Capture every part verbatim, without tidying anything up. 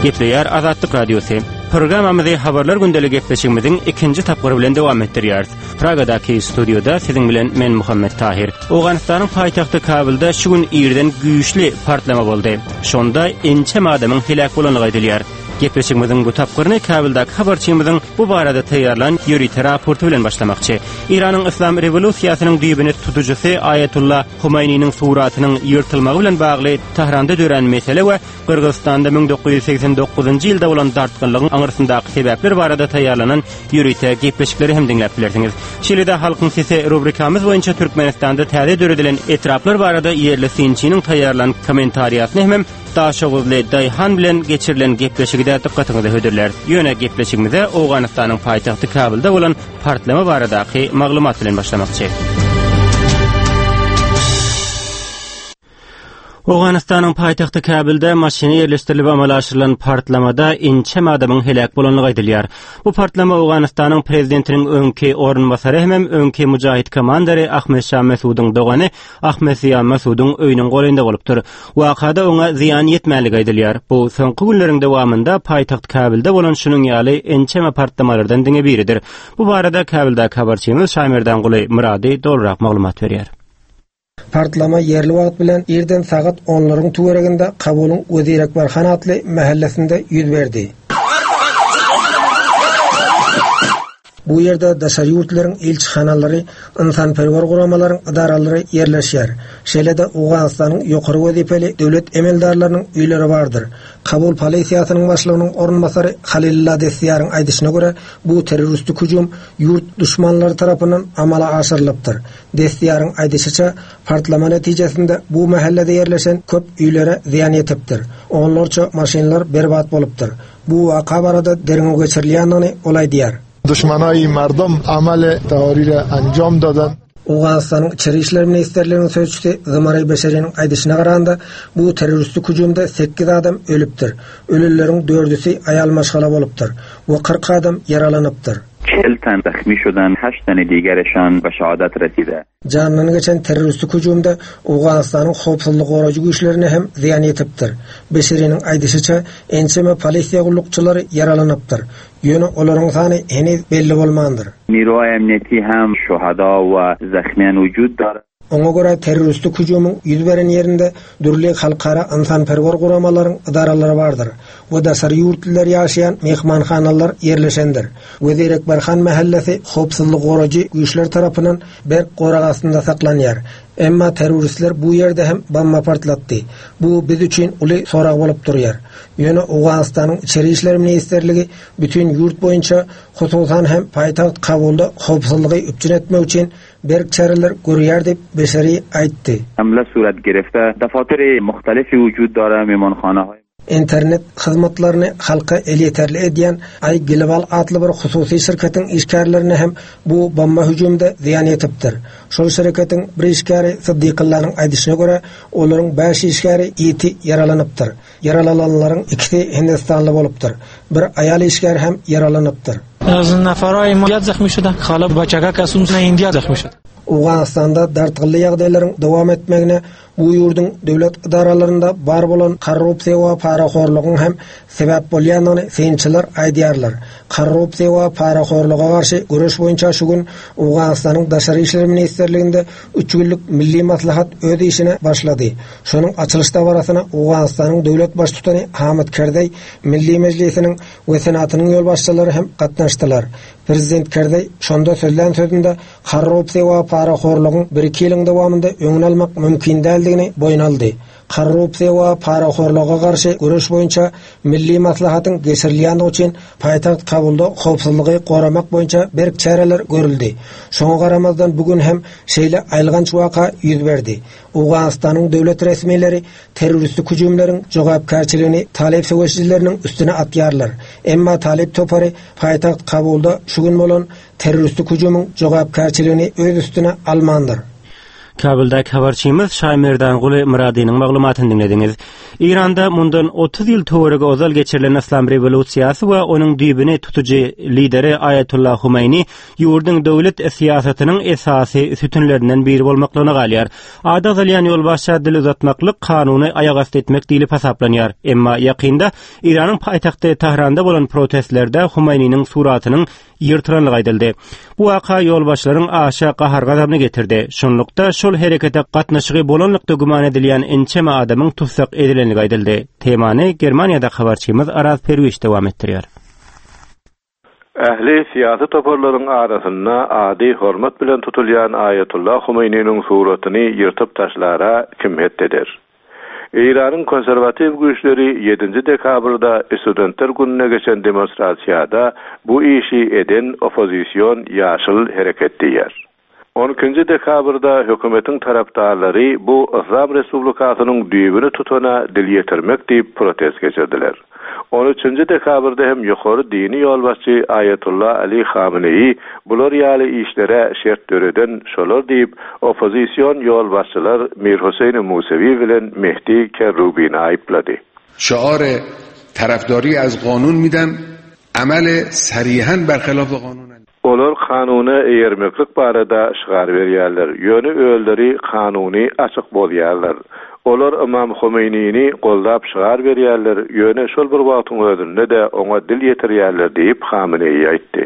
Gepleýär Azatlyk Radiosy. Programmamyzy habarlar gündeli gepleşigimiziň ikinji tapgyry bilen dowam etdirýäris. Pragadaky studioda siziň bilen men Muhammet Tahir. Owganystanyň paýtagty Kabulda şu gün irden güýçli partlama boldy. Şonda ençeme adamyň heläk bolandygy aýdylýar. Gepleşigimiziň bu tapgyryny Kabuldaky habarçymyzyň bu barada taýýarlan ýörite raporty bilen başlamakçy. Iranyň Islam rewolýusiýasynyň düýbüni tutujysy Aýatullah Humeýniniň suratynyň ýyrtylmagy bilen bagly Tahranda dörän mesele we Gyrgyzystanda müň dokuz ýüz segsen dokuzynjy ýylda bolan dartgynlygyň aňyrsyndaky sebäpler barada taýýarlanan ýörite gepleşikleri hem diňläp bilersiňiz. Şeýle-de Halkyň Sesi rubrikamyz boýunça Türkmenistanda täze döredilen etraplar barada ýerli synçynyň taýýarlan kommentariýasyny hem Daşoguzly Daýhan bilen geçirilen gepleşigi de dykgatyňyza hödürler. Ýöne gepleşigimize Owganystanyň paýtagty Kabulda bolan partlama baradaky maglumat bilen başlamakçy. Owganystanyň paýtagty Kabulda maşyna ýerleşdirilip amala aşyrylan partlamada ençeme adamyň heläk bolandygy aýdylýar. Bu partlama Owganystanyň prezidentiniň öňki orunbasary hem öňki mujahid komandary Ahmed Şah Mesudyň dogany Ahmed Ziýa Mesudyň öýüniň golaýynda bolupdyr. Wakada oňa zyýan ýetmänligi aýdylýar. Bu soňky günleriň dowamynda paýtagt Kabulda bolan şunuň ýaly ençeme partlamalardan diňe biridir. Bu barada Kabuldaky habarçymyz Şaýmerdanguly Murady dolurak maglumat berýär. Partlama ýerli wagt bilen irden sagat onlaryň töwereginde Kabulyň Wezir Ekber Han atly mahallesinde ýüz berdi. Bu ýerde daşary ýurtlaryň ilçihanalary, insanperwer guramalaryň idaralary ýerleşýär. Şeýle-de Owganystanyň ýokary wezipeli döwlet emeldarlarynyň öýleri bardyr. Kabul polisiýasynyň başlygynyň orunbasary Halilullah Destiýaryň aýdyşyna görä, bu terroristik hüjüm ýurt düşmanlary tarapyndan amala aşyrylypdyr. Destiýaryň aýdyşyça, partlama netijesinde bu mahallede ýerleşen köp öýlere zyýan ýetipdir. Onlarça maşynlar berbat bolupdyr. Bu waka barada derňew geçirilýändigini ol aýdýar. Düşmanay merdum amal teori ra anjam dadan. Owganystanyň Içeri İşler Ministerliginiň sözçüsi Zumary Beşeriniň aýdyşyna garanda, bu terroristik hüjümde sekiz adam ölüpdir. Ölüleriň dördüsi aýal maşgala bolupdyr we kyrk adam ýaralanypdyr. چهل تن زخمی شدن، هشت تن دیگرشان به شهادت رسیده. Jandan geçen terroristik hüjümde Owganystanyň howpsuzlyk gorajy güýçlerine hem zyýan ýetipdir. Beşeriniň aýdyşyça, ençeme polisiýa gullukçylary ýaralanypdyr. Ýöne olaryň sany heniz belli bolmandyr. نیروهای امنیتی hem şuhada we zakhmiyan وجود دارد. Oňa görä terroristik hüjümiň ýüz beren ýerinde dürli halkara insanperwer guramalaryň idaralary bardyr. We daşary ýurtlylar ýaşaýan mehmanhanalar ýerleşendir. Wezir Ekber Han mahallesi howpsuzlyk gorajy güýçler tarapyndan berk gorag astynda saklanýar. Emma terroristler bu ýerde hem bomba partlatdy. Bu biz üçin uly sorag bolup durýar. Ýöne Owganystanyň Içeri İşler Ministerligi bütün ýurt boýunça, hususan hem paýtagt Kabulda howpsuzlygy üpjün etmek üçin berk çäreler görýär diýip Beşeri aýtdy. Hamla surat girifte dafatır muhtelif vücud dara mehmanxanahay Internet hyzmatlaryny halka elýeterli edýän Ay Global atly bir hususy şirketiň işgärlerine hem bu bomba hüjümde zyýan ýetipdir. Şol şirketiň bir işgäri Siddiqillanyň aýdyşyna görä, olaryň bäş işgäri ýiti ýaralanypdyr. Ýaralananlaryň ikisi Hindistanly bolupdyr. Bir aýal işgär hem ýaralanypdyr. Az nafaray ma zakhmi şuda, xalab bachaga kasum na India zakhmi şuda. Owganystanda dartgynly ýagdaýlaryň dowam etmegine bu ýurduň döwlet idaralarynda bar bolan korrupsiýa we parahorlugyň hem sebäp bolýandygyny synçylar aýdýarlar. Korrupsiýa we parahorluga garşy göreş boýunça şu gün Owganystanyň Daşary İşler Ministerliginde üç günlük milli maslahat öz işine başlady. Şonuň açylyş dabarasyna Owganystanyň döwlet baştutany Hamid Kerzeý, Milli Mejlisiniň we Senatynyň ýolbaşçylary hem gatnaşdylar. Prezident Kerzeý şonda sözlän sözünde korrupsiýa we parahorlugyň bir iki ýylyň dowamynda öňüni almak mümkin däldigini boýun aldy. Korrupsiýa we parahorluga garşy göreş boýunça milli maslahatyň geçirilýändigi üçin paýtagt Kabulda howpsuzlygy goramak boýunça berk çäreler görüldi. Şoňa garamazdan bugün hem şeýle aýylganç waka ýüz berdi. Owganystanyň döwlet resmileri terroristik hüjümleriň jogapkärçiligini Talip söweşijileriniň üstüne atýarlar. Emma Talip topary paýtagt Kabulda şu gün bolan terroristik hüjümiň jogapkärçiligini öz üstüne almandyr. Kabuldaki habarçymyz Şaýmerdanguly Myradynyň maglumatyny diňlediňiz. Eýranda mundan otuz ýyl töweregi ozal geçirilen Yslam rewolýusiýasy we onuň düýbüni tutujy lideri Aýatullah Humeýni ýurduň döwlet syýasatynyň esasy sütünlerinden biri bolmaklygyna galýar. Ady agzalýan ýolbaşça dil uzatmaklyk kanuny aýagasty etmek diýlip hasaplanýar. Emma ýakynda Eýranyň paýtagty Tahranda bolan protestlerde Humeýniniň suratynyň ýyrtylanlygy aýdyldy. Bu waka ýolbaşçylaryň aşa gahar-gazabyny getirdi. Şonlukda şol herekete gatnaşygy bolanlykda güman edilýän ençeme adamyň tutsak edilenligi aýdyldy. Temany Germaniýada habarçymyz Araz Perwiş dowam etdirýär. Ähli syýasy toparlaryň arasynda ady hormat bilen tutulýan Aýatullah Humeýniniň suratyny ýyrtyp taşlara kim het eder? Eýranyň konserwatiw güýçleri ýedinji dekabrda studentler gününe geçen demonstrasiýada bu işi eden oppozision ýaşyl hereket diýer. On ikinji dekabrda hökümetiň tarapdarlary bu Yslam Respublikasynyň düýbüni tutana dil ýetirmek diýip protest geçirdiler. On üçünji dekabrda hem ýokary dini ýolbaşçy Aýatullah Ali Hameneýi bular ýaly işlere şert döreden şolar diýip oppozision ýolbaşçylar Mir Hüseýn Musewi bilen Mehdi Kerrubini aýyplady. Şiar tarafdari az qanun midem amel sarihan berxilaf qanun. Olar kanuna eýermeklik barada şygar berýärler. Ýöne öýleri kanuny açyk bolýarlar. Olar Imam Humeýnini goldap şygar berýärler. Ýöne şol bir wagtyň özünde de oňa dil ýetirýärler diýip Hameneýi aýtdy.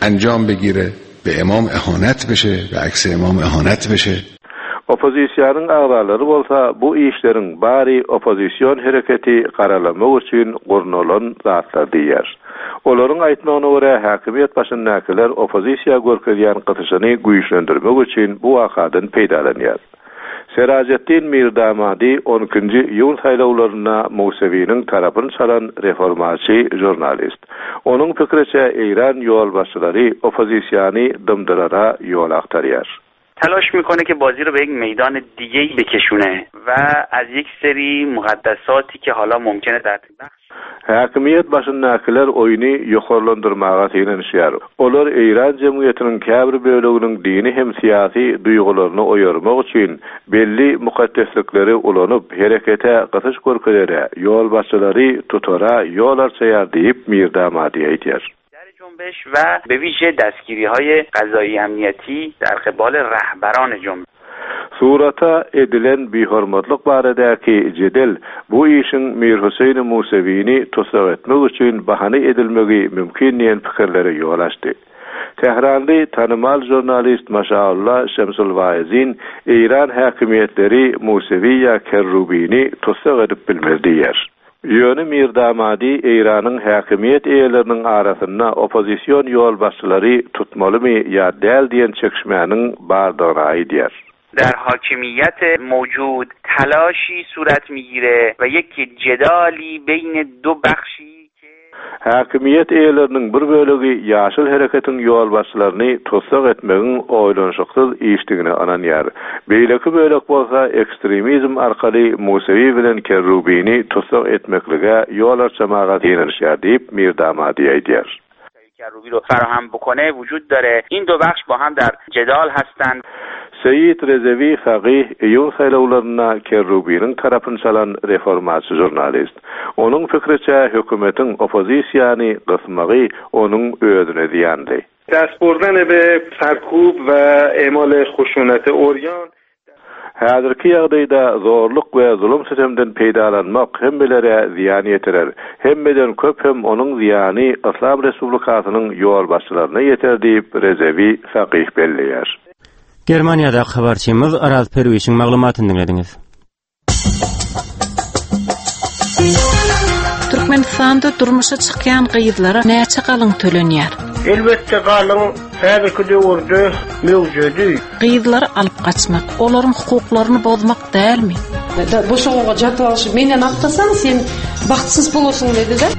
Anjam begire, be imam ihanet beşe, be aks imam ihanet beşe. Oppozisiýanyň agzalary bolsa bu işleriň bary oppozision hereketi garalamak üçin gurnalan zatlar diýär. Olaryň aýtmagyna görä häkimiýet başyndakylar oppozisiýa görkezýän gysyşyny güýçlendirmek üçin bu wakadan peýdalanýar. Serajetdin Mirdamadi on ikinji iýun saýlawlarynda Musewiniň tarapyny çalan reformaçy žurnalist. Onuň pikiriçe Eýran ýolbaşçylary oppozisiýany dymdyrara ýol aktarýar. تلاش میکنه که بازی رو به یک میدان دیگه بکشونه و از یک سری مقدساتی که حالا ممکنه در بخش Häkimiýet başyndakylar oýny ýokarlandyrmaga synanyşýar. Olar Eýran jemgyýetiniň käbir böleginiň dini hem syýasy duýgularyny oýarmak üçin belli mukaddeslikleri ulanyp herekete gysyş görkezere, ýolbaşçylary tutara ýol arçaýar diýip Mirdamadi aýdýar. جنبش و به ویژه دستگیری‌های قضایی امنیتی در قبال رهبران جنبش. Surata edilen bihormatlyk baradaki jedel bu işiň Mir Hüseýn Musewini tutsak etmek üçin bahana edilmegi mümkin diýen pikirlere ýol açdy. Tehranly tanymal žurnalist Maşaullah Şemsul Vaizin Eýran häkimiýetleri Musewi ýa Kerrubini tutsak edip bilmez diýer. Ýöne Mirdamadi Eýranyň häkimiýet eýeleriniň arasynda oppozision ýolbaşçylary tutmalymy ýa däl diýen çekişmäniň bardygyny aýdýar. در حاکمیت موجود تلاشی صورت میگیره و یک جدالی بین دو بخشی که Häkimiýet eýeleriniň bir bölegi ýaşyl hereketiň ýolbaşçylaryny tutsak etmegiň oýlanyşyksyz işdigini ananýar. Beýleki bölek bolsa ekstremizm arkaly Musewi bilen Kerrubini tutsak etmeklige ýol açmaga synanyşýar diýip Mirdamadi aýdýar. کروبی رو فراهم بکنه وجود داره. این دو بخش با هم در جدال هستند. Seyit Rezevi Faqih iýun saýlawlaryna Kerrubiniň tarapyny çalan reformaçy žurnalist. Onuň pikiriçe hökümetiň oppozisiýany gysmagy onuň özüne zyýandy. دست بردن به سرکوب و اعمال خشونت اوریان Häzirki ýagdaýda zorluk we zulum sistemden peýdalanmak hemmelere zyýan ýetirer. Hemmeden köp hem onuň zyýany Yslam Respublikasynyň ýolbaşçylaryna ýeter diýip Rezevi Faqih belleýär. Germaniýada habarçymyz Araz Perwişiň maglumatyny diňlediňiz. Türkmenistanda durmuşa çykýan gyzlara näçe galyň tölenýär? Elbetde galyň häzirki döwürde mewjudy. Gyzlary alyp gaçmak, olaryň hukuklaryny bozmak dälmi? Boşoğuga жатып алышып, менден аттасаң, сен бактысыз болосуң деди да.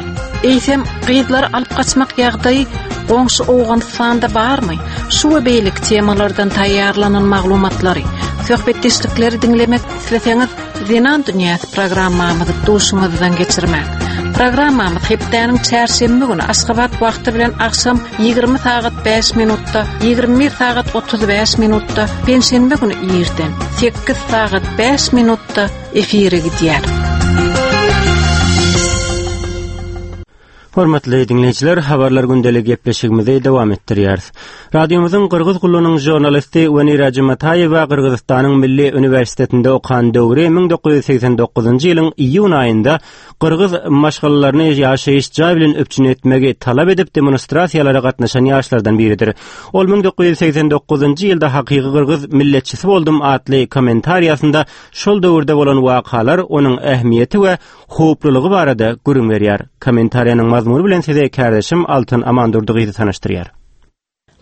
Eýsem gyzlary alyp gaçmak ýagdaýy goňşy Owganystanda barmy? Şu we beýleki temalardan taýýarlanan maglumatlary, söhbetdeşlikleri diňlemek isleseňiz, Zenan Dünýäsi programmamyzy duşuňyzdan geçirmek. Programmamyz hepdäniň çärşenbe güni Aşgabat wagty bilen agşam ýigrimi sagat bäş minutda, ýigrimi bir sagat otuz bäş minutda, penşenbe güni irden sekiz sagat bäş minutda efire gidýär. Hormatly dinleýjiler, habarlar gündeli gepleşigimizi dowam etdirýäris. Radiomyzyň Gyrgyz gullugynyň žurnalisti Wenera Jumataýewa Gyrgyzystanyň Milli Uniwersitetinde okan döwri müň dokuz ýüz segsen dokuzynjy ýylyň iýun aýynda Gyrgyz maşgalalaryny ýaşaýyş jaý bilen üpjün etmegi talap edip demonstrasiýalara gatnaşan ýaşlardan biridir. Ol müň dokuz ýüz segsen dokuzynjy ýylda hakyky Gyrgyz milletçisi boldum atly kommentariýasynda şol döwürde bolan wakalar, onuň ähmiýeti we howplulygy barada gürrüň berýär. Kommentariýanyň mazmuny bilen size kardeşim Altyn Amandurdygyzy tanyşdyrýar.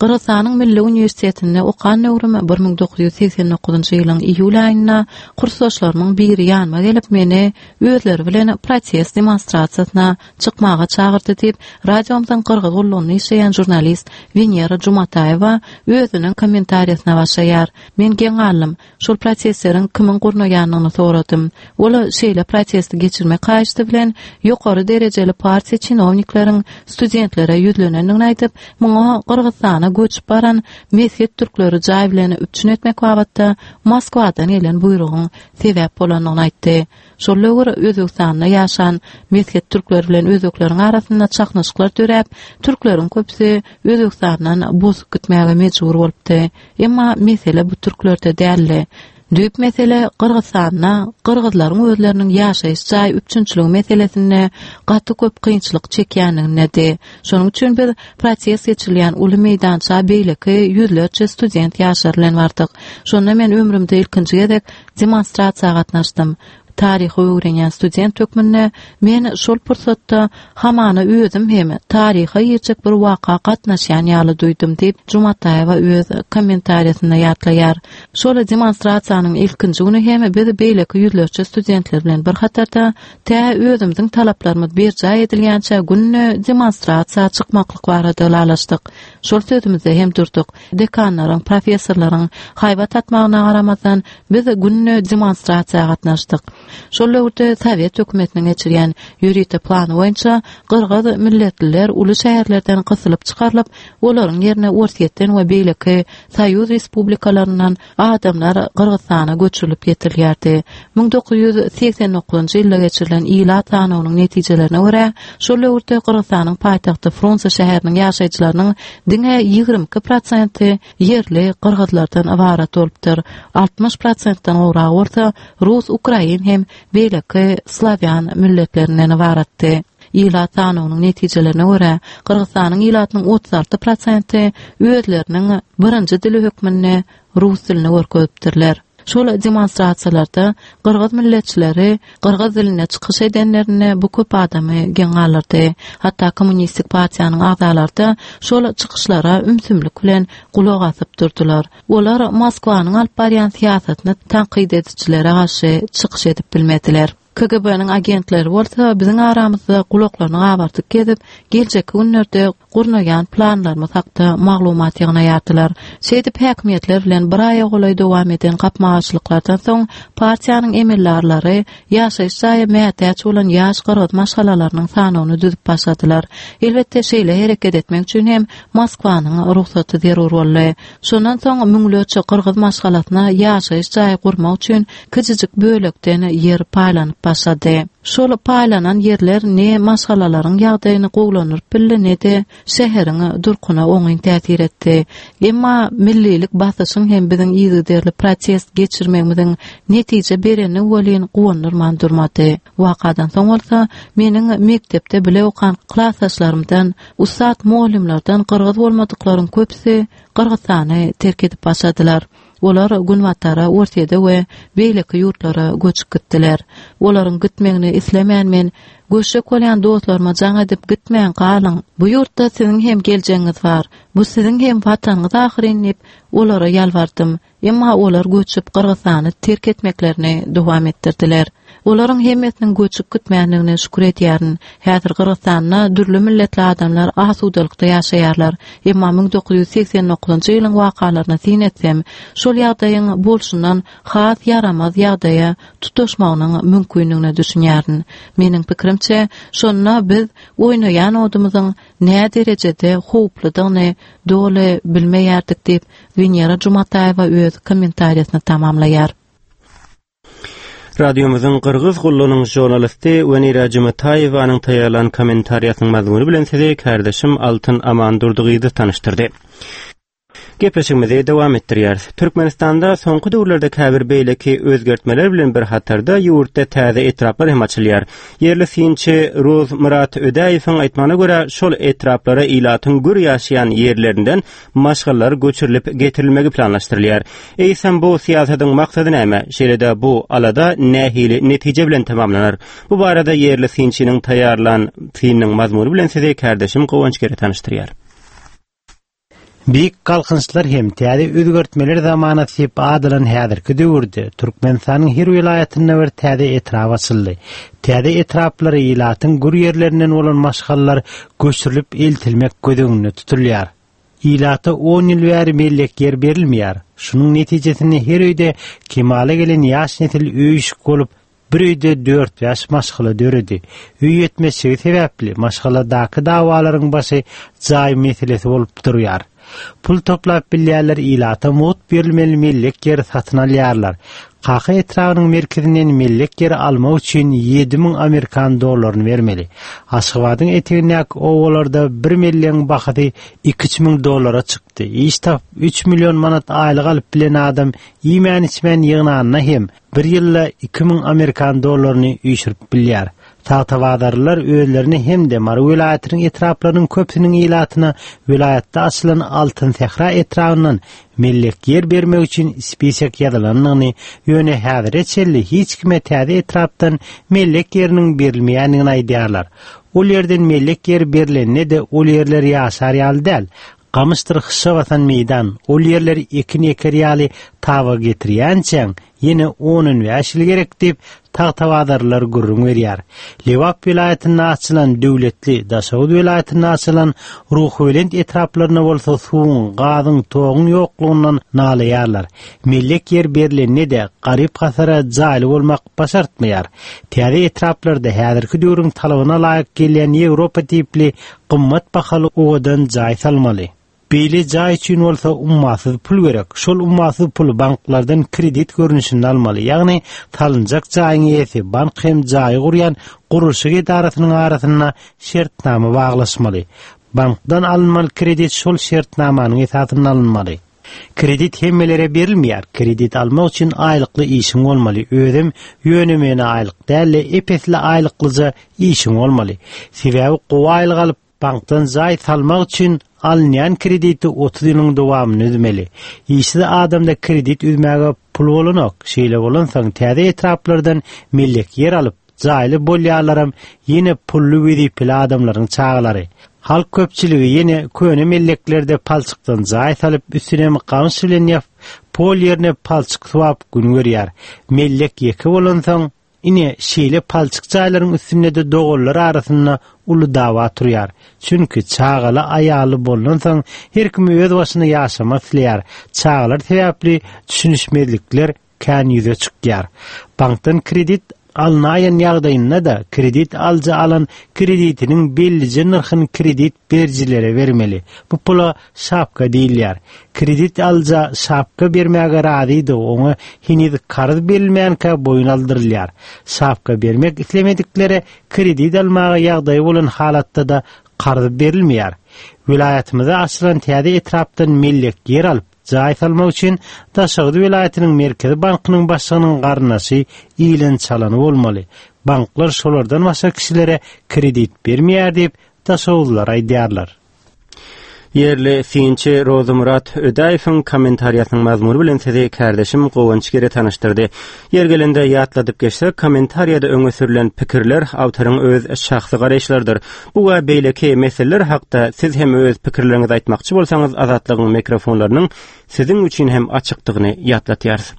Gyrgyzystanyň Milli Uniwersitetinde okan döwrüm bir müň dokuz ýüz segsen dokuzynjy ýylyň iýul aýynda kursdaşlarymyň biri ýanyma gelip meni özleri bilen protest demonstrasiýasyna çykmaga çagyrdy diýip, radiomyzyň Gyrgyz gullugyny işleýän žurnalist Wenera Jumataýewa özüniň kommentariýasyna başlaýar. Men geň galdym. Şol protestleriň kimiň gurnaýanyny soradym. Ol şeýle protesti geçirmek haýyşdy bilen ýokary derejeli partiýa çinownikleriň studentlere ýüzlenendigini aýdyp, muňa Gyrgyzystana göçüp baran meshet türkleri jaý bilen üpjün etmek babatda Moskwadan gelen buýrugyň sebäp bolandygyny aýtdy. Şol döwür Özbegistanda ýaşan meshet türkler bilen özbekleriň arasynda çaknyşyklar döräp, türkleriň köpüsi Özbegistandan bosup gitmäge mejbur bolupdy. Emma mesele bu türklerde däldi. Düýp mesele Gyrgyzystanda Gyrgyzlaryň özleriniň ýaşaýyş jaý üpjünçiligi meselesinde gaty köp kynçylyk çekýändigindedi. Şonuň üçin biz protest geçirilýän uly meýdança beýleki ýüzlerçe student ýaşlar bilen bardyk. Şonda men ömrümde ilkinji gezek demonstrasiýa gatnaşdym. Taryhy öwrenýän student hökmünde men şol pursatda hamana özüm hem taryha girjek bir waka gatnaşýan ýaly duýdum diýip Jumataýewa öz kommentariýasynda ýatlaýar. Şol demonstrasiýanyň ilkinji güni hem biz beýleki ýüzlerçe studentler bilen bir hatarda tä özümiziň talaplarymyz berjaý edilýänçe günde demonstrasiýa çykmaklyk barada ylalaşdyk. Şol sözümizde hem durduk. Dekanlaryň, professorlaryň haýbat atmagyna garamazdan biz günde demonstrasiýa gatnaşdyk. Şol döwürde Sowet hökümetiniň geçirýän ýörite plany boýunça Gyrgyz milletliler uly şäherlerden gysylyp çykarylyp, olaryň ýerine Orsýetden we beýleki Soýuz respublikalaryndan adamlar Gyrgyzystana göçürilip getirilýärdi. Müň dokuz ýüz segsen dokuzynjy ýylda geçirilen ilat sanawynyň netijelerine görä, şol döwürde Gyrgyzystanyň paýtagty Frunze şäheriniň ýaşaýjylarynyň diňe ýigrimi iki prosenti ýerli Gyrgyzlardan ybarat bolupdyr. Altmyş prosentden gowragy bolsa Rus, Ukrain hem beýleki Slawýan milletlerinden ybaratdy. Ilat sanawynyň netijelerine görä, Gyrgyzystanyň ilatynyň otuz alty prosenti özleriniň birinji dili hökmünde rus dilini görkezipdirler. Şol demonstrasiýalarda Gyrgyz milletçileri Gyrgyz dilinde çykyş edenlerinde bu köp adamy geň galdyrdy. Hatda Kommunistik partiýanyň agzalary şol çykyşlara ümsümlik bilen gulak asyp durdular. Olar Moskwanyň alyp barýan syýasatyny tankyt edijilere garşy çykyş edip bilmediler. K G B-niň agentleri bolsa biziň aramyzda gulaklaryny gabartyp gezip, geljekki günlerde gurnaýan planlarymyz hakda maglumat ýygnaýardylar. Şeýdip häkimiýetler bilen bir aýa golaý dowam eden gapma-garşylyklardan soň partiýanyň emeldarlary ýaşaýyş jaýa mätäç bolan ýaş gyrgyz maşgalalarynyň sanyny düzüp başladylar. Elbetde şeýle hereket etmek üçin hem Moskwanyň rugsaty zerur boldy. Şondan soň müňlerçe gyrgyz maşgalasyna ýaşaýyş jaýy gurmak üçin kiçijik bölekden ýer paýlanyp başlady. Şol paýlanan ýerler ne maşgalalaryň ýagdaýyny gowulandyryp bildi, ne-de şäheriň durkuna oňyn täsir etdi. Emma millilik basyşyň hem biziň yzygiderli protest geçirmegimiziň netije bereni welin guwandyrman durmady. Wakadan soň bolsa meniň mekdepde bile okan klasdaşlarymdan, ussat muallimlerden gyrgyz bolmadyklaryň köpüsi Gyrgyzystany terk edip başladylar. Olar Günbatara, Orsýete we beýleki ýurtlara göçüp gitdiler. Olaryň gitmegini islemän men göçjek bolýan dostlaryma jaň edip gitmän galyň. Bu ýurtda siziň hem geljegiňiz bar. Bu siziň hem watanyňyz ahyryn diýip olara ýalbardym. Emma olar göçüp Gyrgyzystany terk etmeklerini dowam etdirdiler. Olaryň hemmesiniň göçüp gitmändigine şükür edýärin. Häzir Gyrgyzystanda dürli milletli adamlar asudalykda ýaşaýarlar. Emma müň dokuz ýüz segsen dokuzynjy ýylyň wakalaryna syn etsem, şol ýagdaýyň bolşundan has ýaramaz ýagdaýa tutaşmagynyň mümkinligine düşünýärin. Meniň pikirimçe, şonda biz oýnaýan odumyzyň nä derejede howpludygyny doly bilmeýärdik diýip Wenera Jumataýewa öz kommentariýasyny tamamlaýar. Radiomyzyň Gyrgyz gullugynyň žurnalisti Wenera Jumataýewanyň taýýarlan kommentariýasynyň mazmuny bilen sizi kärdeşim Altyn Amandurdygyzy tanyşdyrdy. Gepleşigimizi dowam etdirýäris. Türkmenistanda soňky döwürlerde käbir beýleki özgertmeler bilen bir hatarda ýurtda täze etraplar hem açylýar. Ýerli synçy Rozmyrat Ödäýewiň aýtmagyna görä, şol etraplara ilatyň gür ýaşaýan ýerlerinden maşgalalar göçürilip getirilmegi planlaşdyrylýar. Eýsem bu syýasatyň maksady näme? Şeýle-de bu alada nähili netije bilen tamamlanar? Bu barada ýerli synçynyň taýýarlan synynyň mazmuny bilen sizi kärdeşim Guwanç Gere tanyşdyrýar. Beýik galkynyşlar hem täze özgertmeler zamana diýip adylan häzirki döwürde Türkmenistanyň her welaýatynda bir täze etrap açyldy. Täze etraplara ilatyň gür ýerlerinden bolan maşgalalar göçürilip eltilmek göz öňünde tutulýar. Ilata on ýyl bäri mellek ýer berilmeýär. Şunuň netijesinde her öýde kemala gelen ýaş nesil öýüşik bolup, bir öýde dört bäş maşgala döredi. Öý ýetmezçiligi sebäpli maşgaladaky dawalaryň başy jaý meselesi bolup durýar. Pul toplap bilýärler, ilata mugt berilmeli mellek ýeri satyn alýarlar. Kaka etrabynyň merkezinden mellek ýeri almak üçin ýedi müň amerikan dollaryny bermeli. Aşgabadyň etegindäki obalarda bir mellegiň bahasy iki müň dollara çykdy. Iş tapyp üç million manat aýlyk alyp bilen adam iýmän içmän ýygnanyna hem bir ýylda iki müň amerikan dollaryny üýşürip bilýär. Tagtabazarlylar özlerini hem-de Mary welaýatynyň etraplarynyň köpüsiniň ilatyna welaýatda açylan Altyn Sähra etrabyndan mellek ýer bermek üçin spisek ýazylandygyny, ýöne häzire çenli hiç kime täze etrapdan mellek ýeriniň berilmeýändigini aýdýarlar. Ol ýerden mellek ýeri berilende-de ol ýerler ýaşar ýaly däl. Gamyşdyr hyşa basan meýdan, ol ýerleri ekin eker ýaly taba getirýänçäň, ýene on bäş ýyl gerek diýip Tagtabazarlylar gürrüň berýär. Lebap welaýatynda açylan Döwletli, Daşoguz welaýatynda açylan Ruhubelent etraplaryna bolsa suwuň, gazyň, toguň ýoklugyndan nalaýarlar. Mellek ýer berilende-de garyp hasara jaýly bolmak başartmaýar. Täze etraplarda häzirki döwrüň talabyna laýyk gelýän Ýewropa tipli gymmat bahaly owadan jaý salmaly. Beýle jaý üçin bolsa ummasyz pul gerek. Şol ummasyz puly banklardan kredit görnüşinde almaly. Ýagny salynjak jaýyň eýesi bank hem jaýy gurýan gurluşyk edarasynyň arasynda şertnama baglaşmaly. Bankdan alynmaly kredit şol şertnamanyň esasynda alynmaly. Kredit hemmelere berilmeýär. Kredit almak üçin aýlykly işiň bolmaly. Özüm ýöne-möne aýlyk däl-de, epesli aýlyklyja işiň bolmaly. Sebäbi gowy aýlyk alyp bankdan jaý salmak üçin alynýan krediti otuz ýylyň dowamyny üzmeli. Işsiz adamda kredit üzmäge pul bolanok. Şeýle bolansoň täze etraplardan mellek ýer alyp, jaýly bolýarlaram ýene pully wezipeli adamlaryň çagalary. Halk köpçüligi ýene köne melleklerde palçykdan jaý salyp, üstüne gamyş bilen ýapyp, pol ýerine palçyk suwap gün görýär. Mellek ýeke bolansoň, ine şeýle palçyk jaýlaryň üstünde-de doganlar arasynda uly dawa turýar. Çünki çagaly aýaly bolansoň her kim öz başyna ýaşamak isleýär. Çagalar sebäpli düşünişmezlikler kän ýüze çykýar. Bankdan kredit alynaýan ýagdaýynda-da kredit alyjy alan kreditiniň bellije nyrhyny kredit berijilere bermeli. Bu pula şapka diýilýär. Kredit alyja şapka bermäge razydy, oňa heniz karz berilmänkä boýun aldyrylýar. Şapka bermek islemediklere kredit almaga ýagdaýy bolan halatda-da karz berilmeýär. Welaýatymyzda açylan täze etrapdan mellek ýer alyp, jaý salmak üçin Daşoguz welaýatynyň Merkezi bankynyň başlygynyň garyndaşy iýlen çalany bolmaly. Banklar şolardan başga kişilere kredit bermeýär diýip Daşoguzlar aýdýarlar. Ýerli synçy Rozmyrat Ödäýewiň kommentariýasynyň mazmuny bilen sizi kärdeşim Guwanç Gere tanyşdyrdy. Ýer gelende ýatladyp geçsek, kommentariýada öňe sürülen pikirler awtoryň öz şahsy garaýyşlarydyr. Bu we beýleki meseleler hakda siz hem öz pikirleriňizi aýtmakçy bolsaňyz, Azatlygyň mikrofonlarynyň siziň üçin hem açykdygyny ýatlatýarys.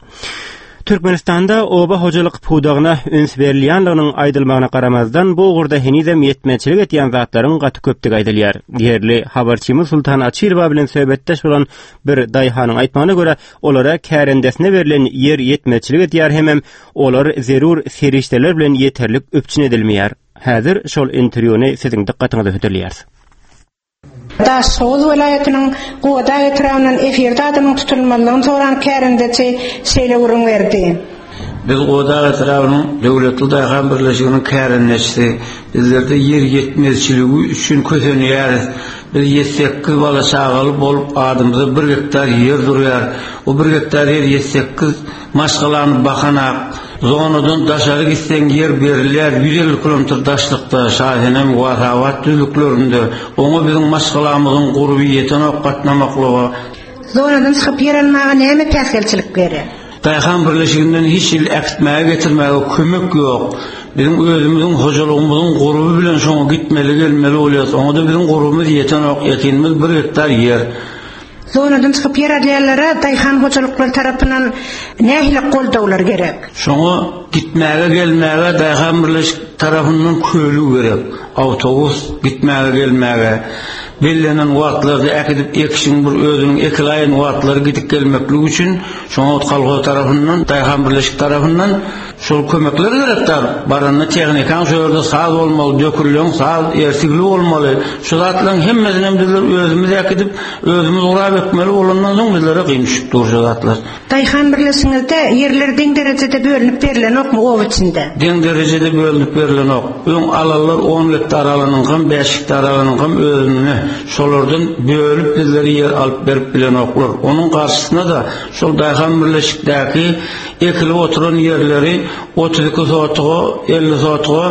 Türkmenistanda oba hojalyk pudagyna üns berilýänliginiň aýdylmagyna garamazdan, bu ugurda henizem ýetmezçilik etýän zatlaryň gaty köpdügi aýdylýar. Ýerli habarçymyz Sultan Açyrowa bilen söhbetdeş bolan bir daýhanyň aýtmagyna görä, olara kärendesine berlen ýer ýetmezçilik edýär hemem olar zerur serişdeler bilen ýeterlik üpjün edilmeýär. Häzir şol interwýuny siziň dykgatyňyza hödürleýäris. Daşoguz welaýatynyň Gubadag etrabyndan efirde adynyň tutulmazlygyny soran kärendeçi şeýle gürrüň berdi. Biz Gubadag etrabynyň Döwletli daýhan birleşiginiň kärendeçisi. Bizlerde ýer ýetmezçiligi üçin kösenýäris. Biz ýedi-sekiz bala çagaly bolup adymyza bir gektar ýer durýar. O bir gektar ýer ýedi-sekiz maşgalany bakanak. Zonadan daşary gitseň ýer berilýär ýüz elli kilometr daşlykda Şasenem Wasabat düzlüklerinde. Oňa biziň maşgalamyzyň gurby ýetenok gatnamaklyga. Zonadan çykyp ýer almaga näme päsgelçilik berýär? Daýhan birleşiginden hiç hili äkitmäge getirmäge kömek ýok. Biziň özümiziň hojalygymyzyň gurby bilen şoňa gitmeli gelmeli bolýas. Oňa-da biziň gurbumyz ýetenok. Ekinimiz bir gektar ýer. Zonadan çykyp ýer alýanlara daýhan hojalyklary tarapyndan nähili goldawlar gerek? Şoňa gitmäge gelmäge daýhan birleşik tarapyndan köli gerek. Awtobus gitmäge gelmäge bellenen wagtlarda äkidip ekişiň bir özüniň ekilaýyn wagtlary gidip gelmeklik üçin şoňa kolhoz tarapyndan, daýhan birleşik tarapyndan şol kömekler gerekdir. Baranda tehnikaň şu ýerde saz bolmaly, dökülen saz ersigli bolmaly. Şu zatlaryň hemmesini bizler özümiz äkidip, özümiz gurap ekmeli bolandan soň bizlere kyn düşüp dur şu zatlar. Daýhan birleşigiňizde ýerler deň derejede bölünip berilenokmy oba içinde? Deň derejede bölünip berilenok. Öň alanlar on gektar alanyňkam, bäş gektar alanyňkam özüne şolardan bölüp bizleri ýer alyp berip bilenoklar. Onuň garşysyna da şol daýhan birleşikdäki ekilip oturan ýerleri otuz iki sotuga, elli sotuga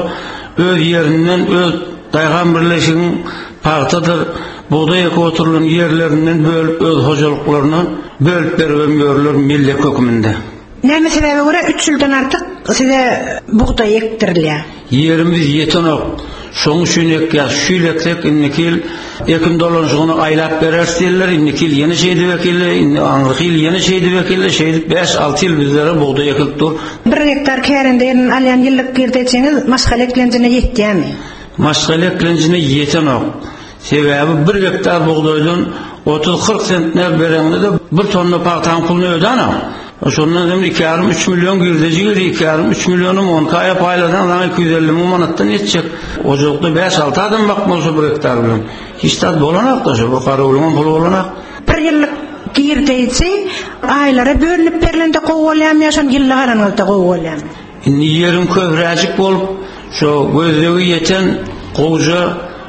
öz ýerinden öz daýhan birleşigiň pagtadyr, bugdaý ekip oturulan ýerlerinden bölüp öz hojalyklaryna bölüp berip ýörler millet höküminde. Näme sebäbe görä üç ýyldan artyk size bugdaý ekdirilýär? Ýerimiz ýetenok. Şoň üçin ekýär. Şu ýyl eksek indiki ýyl ekin dolanşygyny aýlap bereris diýerler. Indiki ýyl ýene şeýdip ekildi, indi aňyrky ýyl ýene şeýdip ekildi. Şeýdip bäş alty ýyl bizlere bugdaý ekilip dur. Bir gektar kärende ýerinden alýan ýyllyk girdejiňiz maşgala eklenjine ýetýärmi? Maşgala eklenjine ýetenok. Sebäbi bir gektar bugdaýdan otuz kyrk sentner bereňde bir tonna pagtaň puluny ödänok. Şondan hem iki ýarym üç million girdeji geldi, iki ýarym üç millionum on kaýa paýlasaň saňa iki ýüz elli müň manatdan ýetjek. Ojakda bäş alty adam bakmaly şu bir gektar bilen. Hiç zat bolanok da şu bir garawulyň puly bolanok. Bir ýyllyk girdeji aýlara bölünip berlende gowy bolýarmy ýa şon ýyllyk alanyňyzda gowy bolýarmy? Indi ýeriň köpräjik bolup, şo gözlegi ýeten gowja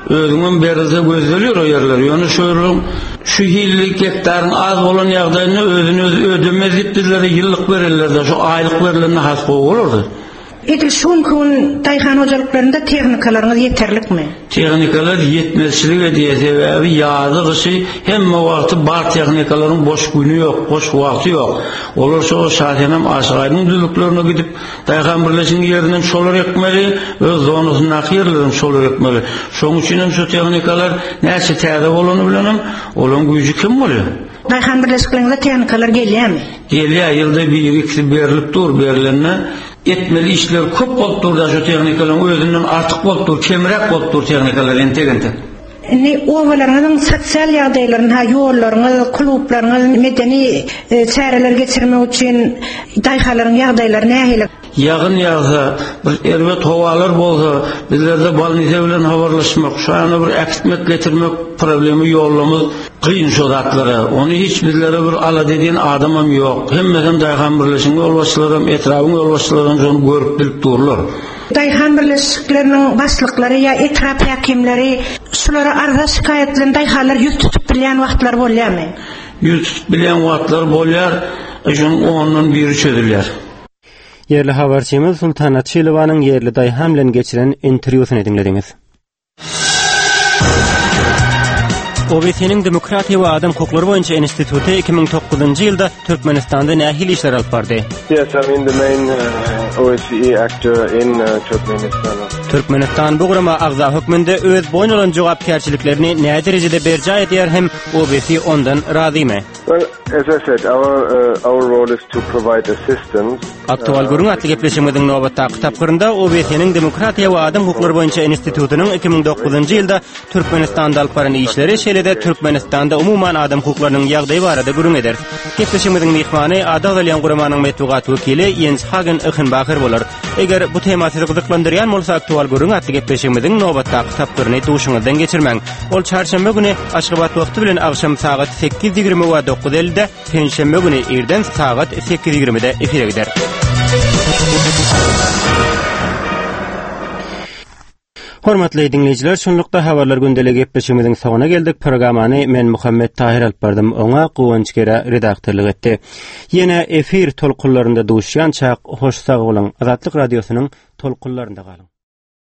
özüňem berilse gözleliyor o ýerler. Ýöne şu ýerleň şu hilli gektaryň az bolan ýagdaýynda özüni özi ödemez diýip bizlere ýyllyk berirler-de, şu aýlyk berilende has gowy bolardy. Edil şu günki gün daýhan hojalyklarynda tehnikalaryňyz ýeterlikmi? Tehnikalar ýetmezçilik edýär, sebäbi ýazy gyşy hemme wagty bar tehnikalaryň boş güni ýok, boş wagty ýok. Olar şo Şasenem Aşygaýdyň düzlüklerine gidip daýhan birleşigiň ýerinden şolar ekmeli, öz zonasyndaky ýerlerden şolar ekmeli. Şoň üçin hem şu tehnikalar näçe täze bolany bilenem olaryň güýji kim bolýar? Daýhan birleşiklerinde tehnikalar gelýärmi? Gelýär, ýylda bir ikisi berilip dur, berilende etmeli işler köp bolup dur da şu tehnikalaryň özünden artyk bolup dur, kemräk bolup dur tehnikalar entek-entek. Indi obalaryňyzyň sosial ýagdaýlaryny, ha ýollaryňyz, klublaryňyz, medeni çäreler geçirmek üçin daýhanlaryň ýagdaýlary nähili? Ýagyn ýagsa, bir erbet howalar bolsa, bizlerde bolnisa bilen habarlaşmak, şu ýana bir äkitmek, getirmek problemi ýollamyz kyn şu zatlara. Ony hiç bizlere bir alada edýän adamam ýok. Hemmesem daýhan birleşigiň ýolbaşçylaram, etrabyň ýolbaşçylaram şony görüp bilip durlar. Daýhan birleşikleriniň başlyklary ýa etrap häkimleri şulara arza şikaýat bilen daýhanlar ýüz tutup bilýän wagtlar bolýarmy? Ýüz tutup bilýän wagtlar bolýar, şonuň ondan biri çözülýär. Ýerli habarçymyz Sultan Açylowanyň ýerli daýhan bilen geçiren interwýusyny diňlediňiz. O B S-niň Demokratiýa we Adam hukuklary boýunça instituty iki müň dokuzynjy ýylda Türkmenistanda nähili işler alyp bardy? Yes, I mean the main, uh, O S C E actor in, uh, Turkmenistan. Türkmenistan bu gurama agza hökmünde öz boýun alan jogapkärçiliklerini näderejede derejede berjaý edýär hem O B S ondan razymy? Well, as I said, our, uh, our role is to provide assistance. Aktual gürrüň atly gepleşigimiziň nobatdaky tapgyrynda O B S-niň Demokratiýa we Adam hukuklary boýunça institutynyň iki müň dokuzynjy ýylda Türkmenistanda alyp baran işleri, şeýle-de Türkmenistanda umuman adam hukuklarynyň ýagdaýy barada gürrüň ederis. Gepleşigimiziň myhmany ady agzalýan guramanyň metbugat wekili Jens Hagen Yhynbacher bolar. Eger bu tema sizi gyzyklandyrýan bolsa, aktual gürrüň atly gepleşigimiziň nobatdaky tapgyryny duşuňyzdan geçirmäň. Ol çarşenbe güni Aşgabat wagty bilen agşam sagat sekiz ýigrimi we dokuz ellide, penşenbe güni irden sagat sekiz ýigrimide efire gider. Hormatly dinleýjiler, şunlukda habarlar gündelik gepleşigimiziň soňuna geldik. Programmany men Muhammet Tahir alyp bardym. Oňa Guwanç Gera redaktorlyk etdi. Ýene efir tolkunlarynda duşýançak hoş sag boluň. Azatlyk radiosynyň tolkunlarynda galyň.